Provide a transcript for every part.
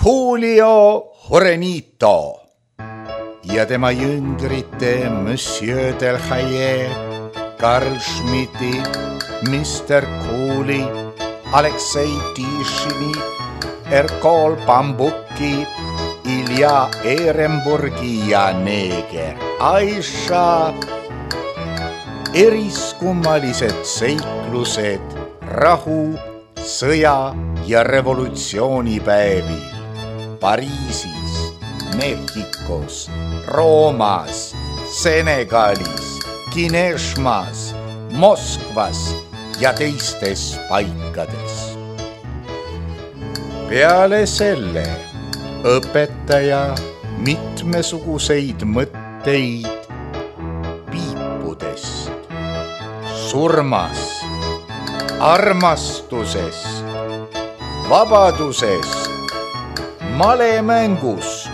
Julio Jorenito ja tema jüngrite Monsieur Delhaye, Karl Schmidti, Mr. Cooley, Aleksei Tishini, Erkol Bambuki, Ilja Ehrenburgi ja neeger Aisha. Eriskummalised seiklused rahu, sõja ja revolutsioonipäevil Pariisis, Mehhikos, Roomas, Senegalis, Kineshmas, Moskvas ja teistes paikades. Peale selle õpetaja mitmesuguseid mõtteid piipudest, surmast, armastusest, vabadusest, malemängust,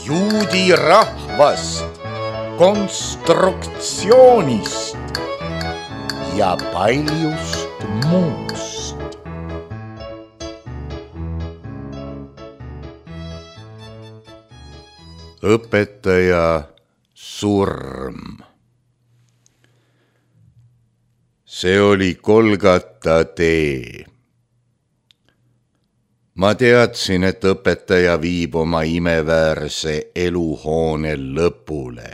juudi rahvast, konstruktsioonist ja paljust muust. Õpetaja surm. See oli Kolgata tee. Ma teadsin, et õpetaja viib oma imeväärse eluhoone lõpule,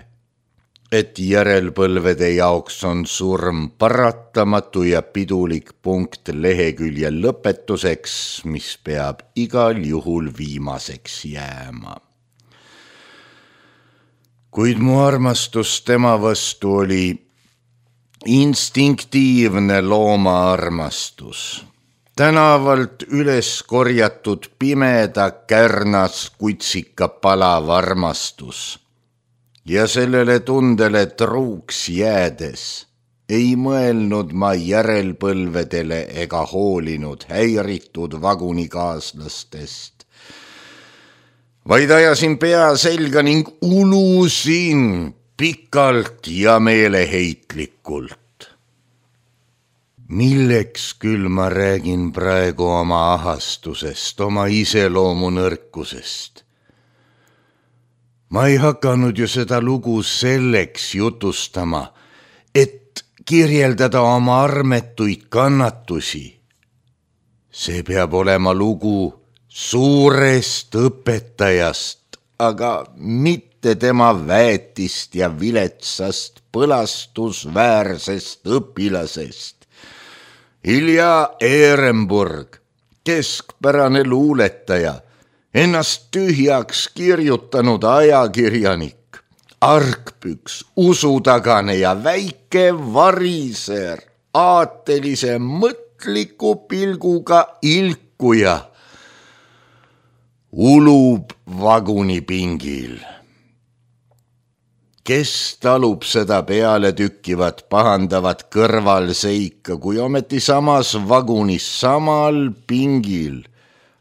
et järelpõlvede jaoks on surm paratamatu ja pidulik punkt lehekülje lõpetuseks, mis peab igal juhul viimaseks jääma. Kuid mu armastus tema vastu oli instinktiivne loomaarmastus, tänavalt üles korjatud pimeda kärnas kutsika palav armastus. Ja sellele tundele truuks jäädes ei mõelnud ma järelpõlvedele ega hoolinud häiritud vagunikaaslastest, vaid ajasin pea selga ning ulusin pikalt ja meeleheitlikult. Milleks küll ma räägin praegu oma ahastusest, oma iseloomu nõrkusest? Ma ei hakanud ju seda lugu selleks jutustama, et kirjeldada oma armetuid kannatusi. See peab olema lugu suurest õpetajast, aga mitte tema väetist ja viletsast põlastusväärsest õpilasest. Ilja Ehrenburg, keskpärane luuletaja, ennast tühjaks kirjutanud ajakirjanik, argpüks, usutagane ja väike variser, aatelise mõtliku pilguga ilkuja, ulub vagunipingil. Kes talub seda peale tükkivat pahandavat kõrvalseika, kui ometi samas vagunis, samal pingil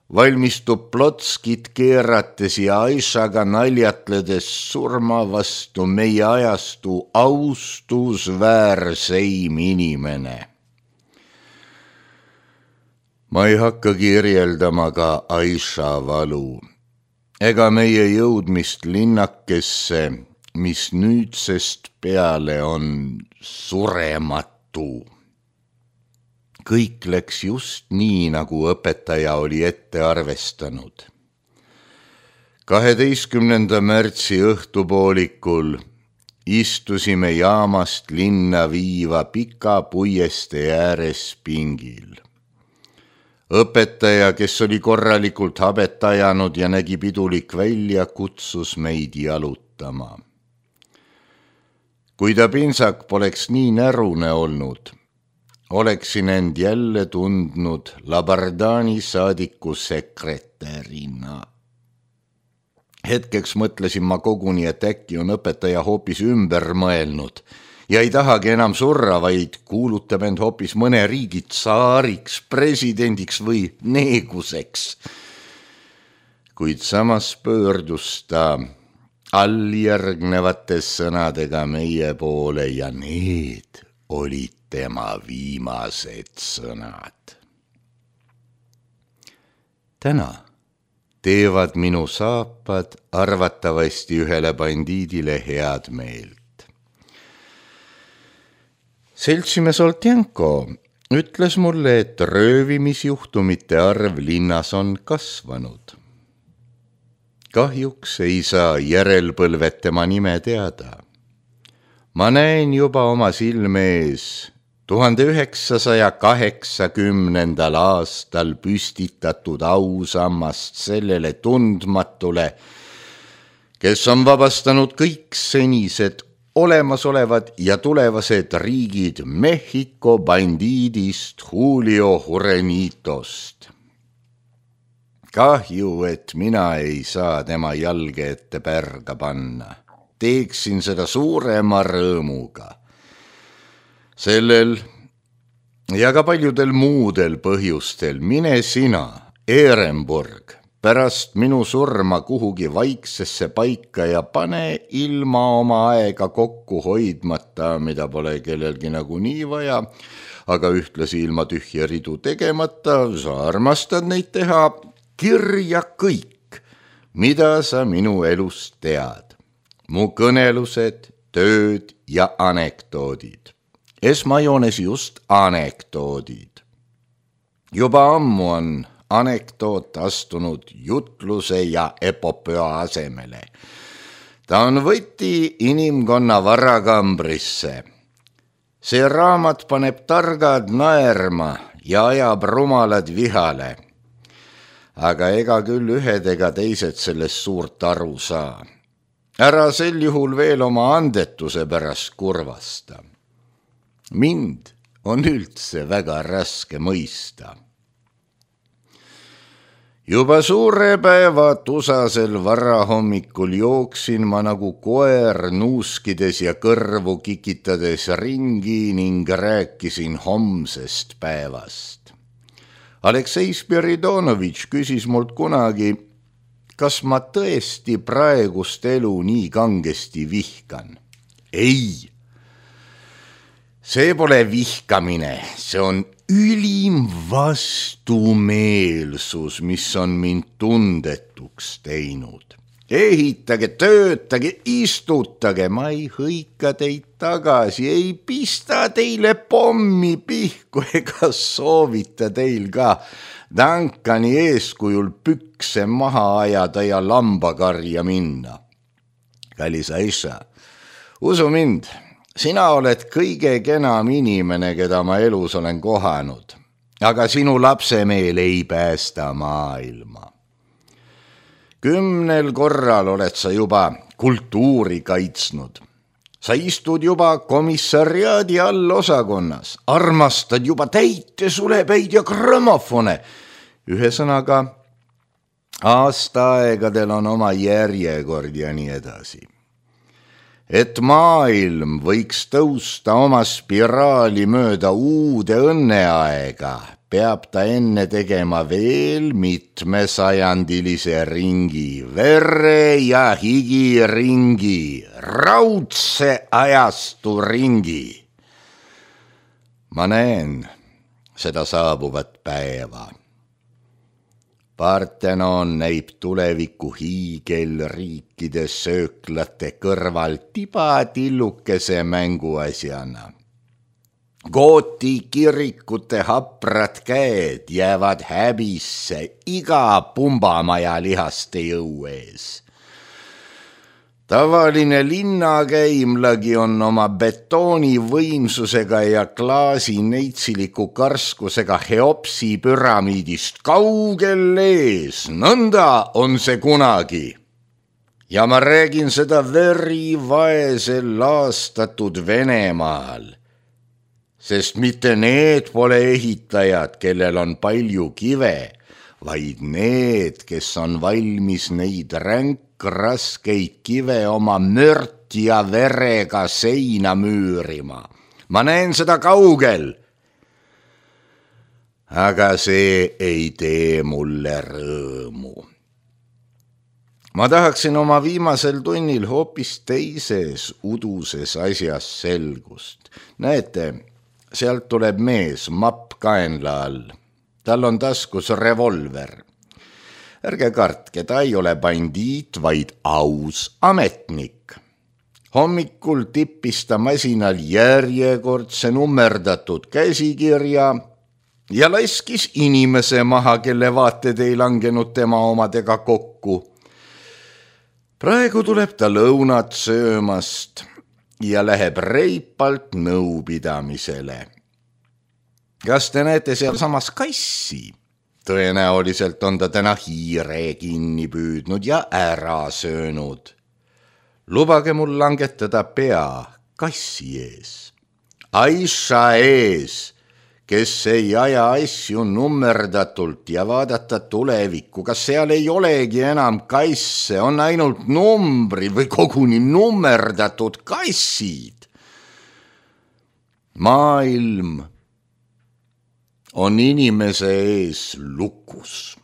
valmistub Plotskit keerates ja Aishaga naljatledes surma vastu meie ajastu austusväärseim inimene. Ma ei hakka kirjeldama ka Aisha valu ega meie jõudmist linnakesse, mis nüüdsest peale on surematu. Kõik läks just nii, nagu õpetaja oli ette arvestanud. 12. märtsi õhtupoolikul istusime jaamast linna viiva pika puieste ääres pingil. Õpetaja, kes oli korralikult habet ajanud ja nägi pidulik välja, kutsus meid jalutama. Kui ta pintsak poleks nii närune olnud, oleksin end jälle tundnud Labardani saadiku sekretärina. Hetkeks mõtlesin ma koguni, et äkki on õpetaja hoopis ümber mõelnud ja ei tahagi enam surra, vaid kuulutab end hoopis mõne riigi tsaariks, presidendiks või neeguseks. Kuid samas pöördus ta alljärgnevates sõnadega meie poole ja need olid tema viimased sõnad. Täna teevad minu saapad arvatavasti ühele bandiidile head meelt. Seltsimees Oltjenko ütles mulle, et röövimisjuhtumite arv linnas on kasvanud. Kahjuks ei saa järelpõlved tema nime teada. Ma näen juba oma silme ees 1980. aastal püstitatud ausammast sellele tundmatule, kes on vabastanud kõik senised olemasolevad ja tulevased riigid Mehhiko bandiidist Julio Jurenitost. Kahju, et mina ei saa tema jalge ette pärga panna. Teeksin seda suurema rõõmuga. Sellel ja ka paljudel muudel põhjustel mine sina, Ehrenburg, pärast minu surma kuhugi vaiksesse paika ja pane ilma oma aega kokku hoidmata, mida pole kellelgi nagunii vaja, aga ühtlasi ilma tühja ridu tegemata, sa armastad neid teha, kirja kõik, mida sa minu elust tead. Mu kõnelused, tööd ja anekdoodid. Esmajoones just anekdoodid. Juba ammu on anekdoot astunud jutluse ja epopöa asemele. Ta on võti inimkonna varakambrisse. See raamat paneb targad naerma ja ajab rumalad vihale. Aga ega küll ühed ega teised sellest suurt aru saa. Ära sel juhul veel oma andetuse pärast kurvasta. Mind on üldse väga raske mõista. Juba suure päeva tusasel varahommikul jooksin ma nagu koer nuuskides ja kõrvu kikitades ringi ning rääkisin homsest päevast. Aleksei Spiridonovitš küsis mult kunagi, kas ma tõesti praegust elu nii kangesti vihkan. Ei, see pole vihkamine, see on ülim vastumeelsus, mis on mind tundetuks teinud. Ehitage, töötage, istutage, ma ei hõika teid tagasi, ei pista teile pommi pihku ega soovita teil ka Duncani eeskujul pükse maha ajada ja lambakarja minna. Kallis Aisha, usu mind, sina oled kõige kenam inimene, keda ma elus olen kohanud, aga sinu lapsemeel ei päästa maailma. 10 korral oled sa juba kultuuri kaitsnud. Sa istud juba komissariaadi all osakonnas, armastad juba täitesulepäid ja grammofone. Ühesõnaga, aastaaegadel on oma järjekord ja nii edasi. Et maailm võiks tõusta oma spiraali mööda uude õnneaega, peab ta enne tegema veel mitmesajandilise ringi, verre ja higi ringi, raudse ajastu ringi. Ma näen seda saabuvat päeva. Parthenon näib tuleviku hiigelriikide sööklate kõrval tibatillukese mänguasjana. Gooti kirikute haprad käed jäävad häbisse iga pumbamaja lihaste jõu ees. Tavaline linnakäimlagi on oma betooni võimsusega ja klaasi neitsiliku karskusega Heopsi püramiidist kaugel ees, nõnda on see kunagi. Ja ma räägin seda verivaesel laastatud Venemaal, sest mitte need pole ehitajad, kellel on palju kive, vaid need, kes on valmis neid raskeid kive oma mört ja verega seina müürima. Ma näen seda kaugel, aga see ei tee mulle rõõmu. Ma tahaksin oma viimasel tunnil hoopis teises uduses asjas selgust. Näete, sealt tuleb mees mapp kaenla all. Tal on taskus revolver. Ärge kartke, ta ei ole bandiit, vaid aus ametnik. Hommikul tippis ta masinal järjekordse nummerdatud käsikirja ja laskis inimese maha, kelle vaated ei langenud tema omadega kokku. Praegu tuleb ta lõunat söömast ja läheb reipalt nõupidamisele. Kas te näete seal samas kassi? Tõenäoliselt on ta täna hiire kinni püüdnud ja ära söönud. Lubage mul langetada pea kassi ees. Aisha ees, kes ei aja asju nummerdatult ja vaadata tulevikku. Kas seal ei olegi enam kasse, on ainult numbrid või koguni nummerdatud kassid? Maailm on inimese ees lukus.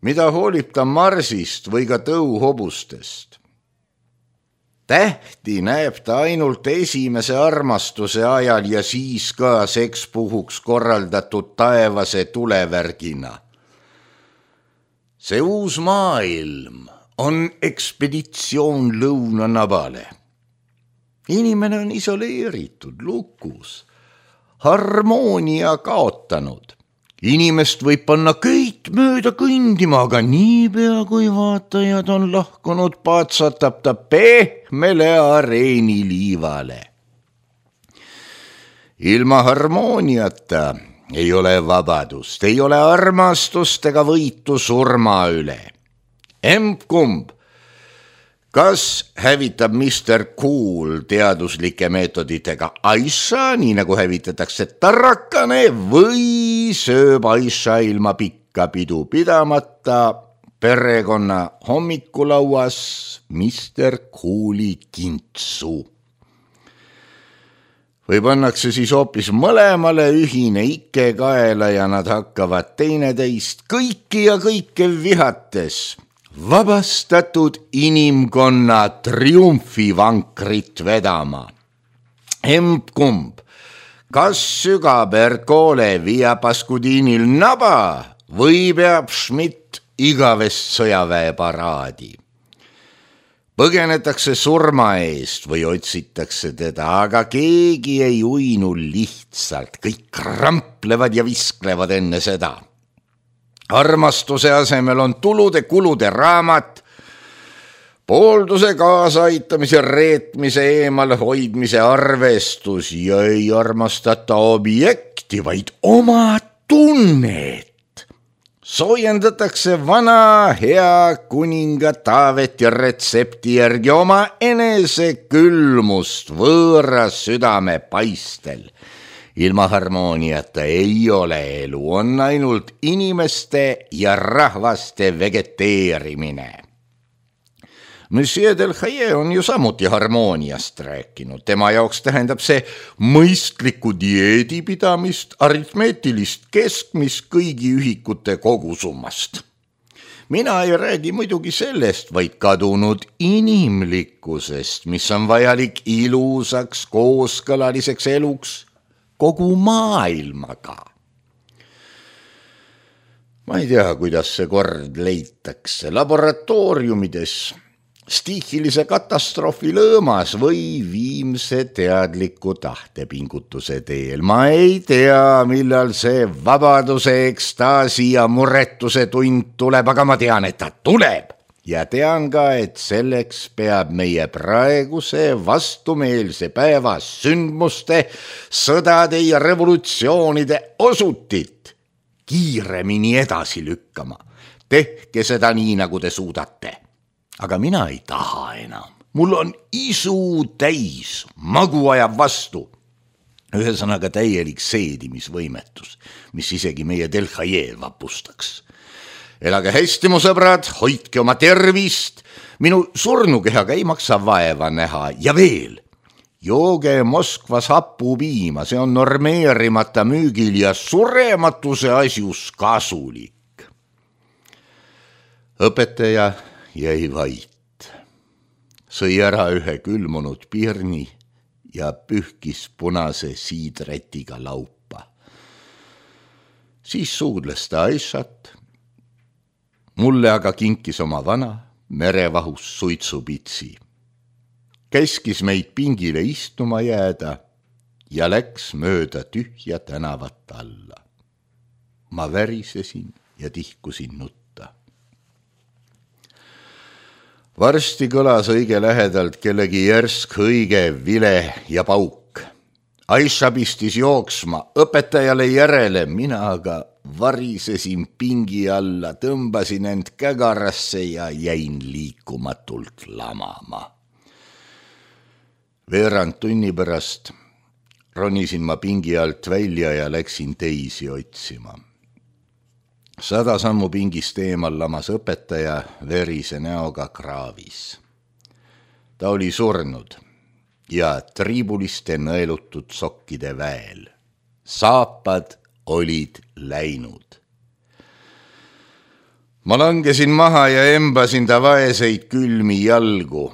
Mida hoolib ta marsist või ka tõuhobustest? Tähti näeb ta ainult esimese armastuse ajal ja siis ka sekspuhuks korraldatud taevase tulevärgina. See uus maailm on ekspeditsioon lõunanabale. Inimene on isoleeritud, lukus, harmoonia kaotanud. Inimest võib panna köit mööda kõndima, aga niipea kui vaatajad on lahkunud, patsatab ta pehmele areeniliivale. Ilma harmooniata ei ole vabadust, ei ole armastust ega võitu surma üle. Emb-kumb, kas hävitab Mr. Cool teaduslike meetoditega Aisha, nii nagu hävitatakse tarrakane, või sööb Aisha ilma pikka pidu pidamata perekonna hommikulauas Mr. Cooli kintsu? Või pannakse siis hoopis mõlemale ühine ikke kaela ja nad hakkavad teineteist kõiki ja kõike vihates vabastatud inimkonna triumfivankrit vedama. Emb-kumb, kas sügab Ercole Via Pascudinil naba või peab Schmidt igavest sõjaväeparaadi? Põgenetakse surma eest või otsitakse teda, aga keegi ei uinu lihtsalt, kõik kramplevad ja visklevad enne seda. Armastuse asemel on tulude-kulude raamat, poolduse kaasaitamise, reetmise, eemal hoidmise arvestus ja ei armastata objekti, vaid oma tunnet. Soojendatakse vana hea kuninga Taaveti retsepti järgi oma enese külmust võõras südame paistel. Ilma harmooniata ei ole elu, on ainult inimeste ja rahvaste vegeteerimine. Monsieur Delhaye on ju samuti harmooniast rääkinud. Tema jaoks tähendab see mõistliku dieedi pidamist, aritmeetilist keskmist kõigi ühikute kogusummast. Mina ei räägi muidugi sellest, vaid kadunud inimlikkusest, mis on vajalik ilusaks, kooskõlaliseks eluks kogu maailmaga. Ma ei tea, kuidas see kord leitakse laboratooriumides, stiihilise katastroofi lõõmas või viimse teadliku tahtepingutuse teel. Ma ei tea, millal see vabaduse, ekstaasi ja muretuse tund tuleb, aga ma tean, et ta tuleb. Ja tean ka, et selleks peab meie praeguse vastumeelse päeva sündmuste, sõdade ja revolutsioonide osutit kiiremini edasi lükkama. Tehke seda nii, nagu te suudate. Aga mina ei taha enam. Mul on isu täis, magu ajab vastu. Ühesõnaga täielik seedimisvõimetus, mis isegi meie Delhaye vapustaks. Elage hästi, mu sõbrad, hoidke oma tervist, minu surnukehaga ei maksa vaeva näha ja veel, jooge Moskvas hapupiima, see on normeerimata müügil ja surematuse asjus kasulik. Õpetaja jäi vait, sõi ära ühe külmunud pirni ja pühkis punase siidretiga laupa. Siis suudles ta Aishat Mulle aga kinkis oma vana merevahus suitsupitsi. Käskis meid pingile istuma jääda ja läks mööda tühja tänavat alla. Ma värisesin ja tihkusin nutta. Varsti kõlas õige lähedalt kellegi järsk õige vile ja pauk. Aisha pistis jooksma, õpetajale järele, mina aga varisesin pingi alla, tõmbasin end kägarasse ja jäin liikumatult lamama. Veerand tunni pärast ronisin ma pingi alt välja ja läksin teisi otsima. 100 sammu pingist eemal lamas õpetaja verise näoga kraavis. Ta oli surnud ja triibuliste nõelutud sokkide väel. Saapad olid läinud. Ma langesin maha ja embasin ta vaeseid külmi jalgu.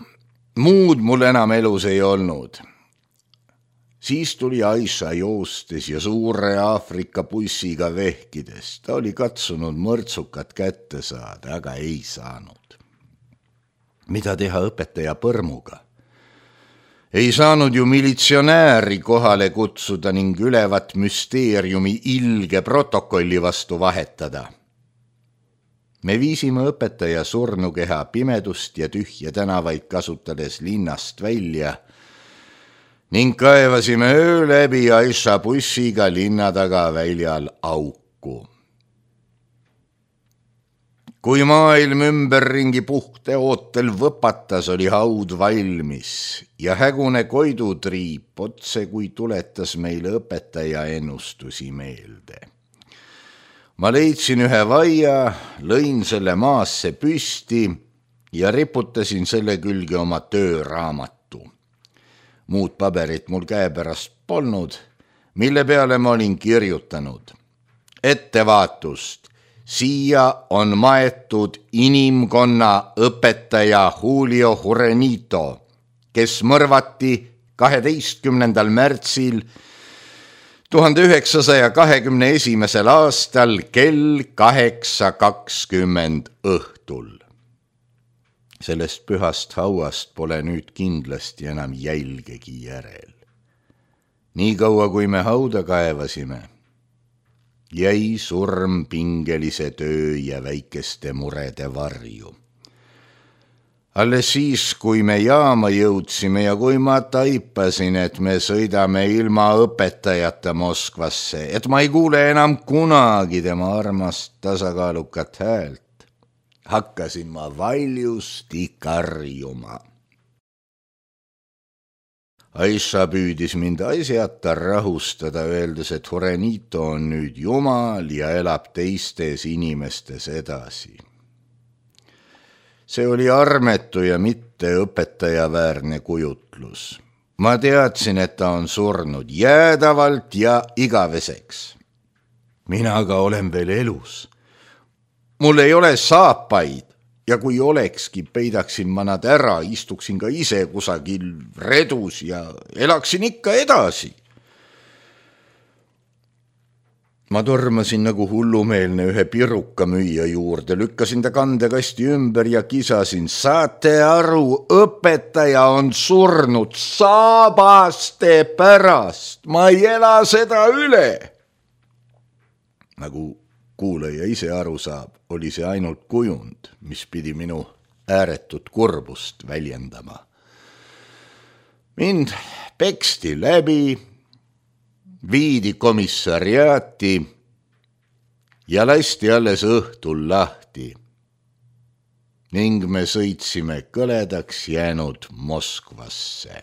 Muud mul enam elus ei olnud. Siis tuli Aisha joostes ja suure Aafrika bussiga vehkides. Ta oli katsunud mõrtsukat kätte saada, aga ei saanud. Mida teha õpetaja põrmuga? Ei saanud ju militsionääri kohale kutsuda ning ülevat müsteeriumi ilge protokolli vastu vahetada. Me viisime õpetaja surnukeha pimedust ja tühja tänavaid kasutades linnast välja ning kaevasime öö läbi Aisha bussiga linna taga väljal auku. Kui maailm ümberringi puhte ootel võpatas, oli haud valmis ja hägune koidutriip otse kui tuletas meile õpetaja ennustusi meelde. Ma leidsin ühe vaia, lõin selle maasse püsti ja riputasin selle külge oma tööraamatu. Muud paberit mul käepärast polnud, mille peale ma olin kirjutanud. Ettevaatust, siia on maetud inimkonna õpetaja Julio Jurenito, kes mõrvati 12. märtsil 1921. aastal kell 8:20 õhtul. Sellest pühast hauast pole nüüd kindlasti enam jälgegi järel. Nii kaua, kui me hauda kaevasime, jäi surm pingelise töö ja väikeste murede varju. Alles siis, kui me jaama jõudsime ja kui ma taipasin, et me sõidame ilma õpetajata Moskvasse, et ma ei kuule enam kunagi tema armast tasakaalukat häält, hakkasin ma valjusti karjuma. Aisha püüdis mind asjata rahustada, öeldes, et Jurenito on nüüd jumal ja elab teistes inimestes edasi. See oli armetu ja mitte õpetajaväärne kujutlus. Ma teadsin, et ta on surnud jäädavalt ja igaveseks. Mina aga olen veel elus. Mul ei ole saapaid ja kui olekski, peidaksin ma nad ära, istuksin ka ise kusagil redus ja elaksin ikka edasi. Ma tormasin nagu hullumeelne ühe pirukamüüja juurde, lükkasin ta kandekasti ümber ja kisasin, saate aru, õpetaja on surnud saabaste pärast, ma ei ela seda üle. Nagu kuulaja ise aru saab, oli see ainult kujund, mis pidi minu ääretut kurbust väljendama. Mind peksti läbi, viidi komissariaati ja lasti alles õhtul lahti ning me sõitsime kõledaks jäänud Moskvasse.